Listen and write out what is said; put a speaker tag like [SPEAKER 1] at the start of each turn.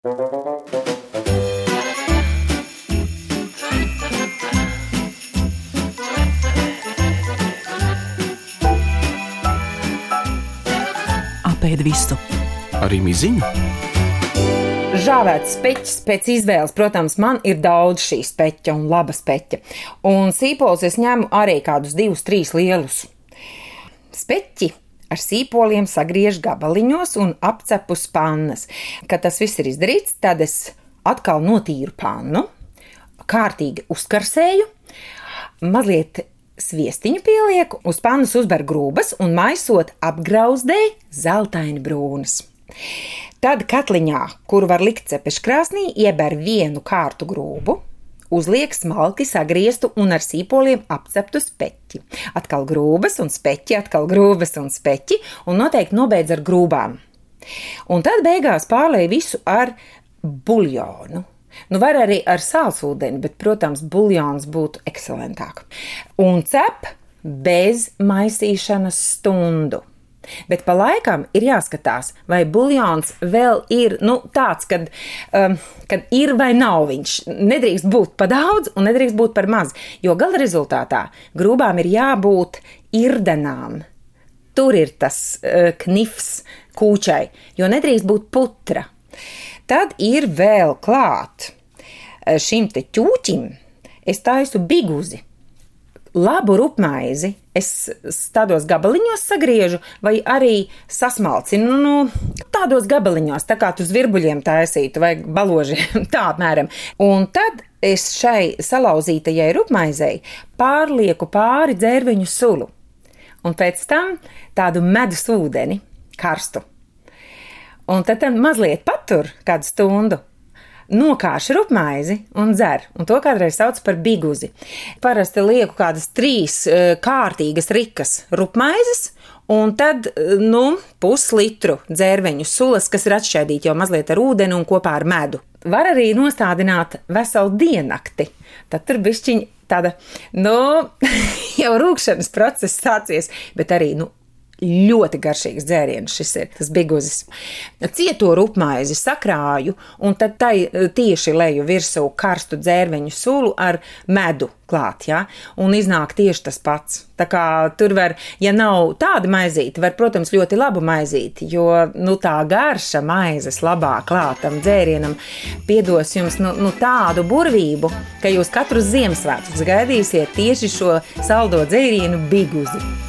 [SPEAKER 1] Apēd visu.
[SPEAKER 2] Arī miziņu?
[SPEAKER 3] Žāvēts speķis pēc izvēles, protams, man ir daudz šī speķa un laba speķa. Un sīpols es ņemu arī kādus 2-3 lielus. Speķi ar sīpoliem sagriež gabaliņos un apcepu uz pannas. Kad tas viss ir izdarīts, tad es atkal notīru pannu, kārtīgi uzkarsēju, mazliet sviestiņu pielieku, uz pannas uzber grūbas un maisot apgrauzdēju zeltaini brūnas. Tad katliņā, kuru var likt cepeškrāsnī, ieber 1 kārtu grūbu, uzliek smalki sagrieztu un ar sīpoliem apceptu speķi. Atkal grūbas un speķi, atkal grūbas un speķi, un noteikti nobeidz ar grūbām. Un tad beigās pārlej visu ar buļļonu. Var arī ar sālsūdeni, bet, protams, buļļons būtu ekscelentāk. Un cep bez maisīšanas stundu. Bet pa laikam ir jāskatās, vai buļļons vēl ir tāds, kad ir vai nav viņš. Nedrīkst būt pa daudz un nedrīkst būt par maz, jo gala rezultātā grūbām ir jābūt irdenām. Tur ir tas knifs kūčai, jo nedrīkst būt putra. Tad ir vēl klāt šim te ķūķim, es taisu biguzi. Labu rupmaizi es tādos gabaliņos sagriežu vai arī sasmalcinu, tādos gabaliņos, tā kā tu zvirbuļiem taisītu vai baložiem, tā apmēram. Un tad es šai salauzītajai rupmaizei pārlieku pāri dzērveņu sulu un pēc tam tādu medus ūdeni karstu. Un tad mazliet patur kādu stundu. Nokāšu rupmaizi un dzer, un to kādreiz sauc par biguzi. Parasti lieku kādas 3 kārtīgas rikas rupmaizes, un tad, puslitru dzērveņu sulas, kas ir atšķaidīti jau mazliet ar ūdeni un kopā ar medu. Var arī nostādināt veselu diennakti, tad tur bišķiņ tāda, jau rūkšanas process sācies, bet arī, ļoti garšīgs dzēriens šis ir, tas biguzis. Cieto rupmaizi sakrāju un tad tai tieši leju virsū karstu dzērveņu sulu ar medu klāt, ja? Un iznāk tieši tas pats. Tā kā tur var, ja nav tāda maizīte, var, protams, ļoti labu maizīti, jo, tā garša maizes labā klātam dzērienam piedos jums, tādu burvību, ka jūs katrus Ziemassvētkus gaidīsiet tieši šo saldo dzērienu biguzi.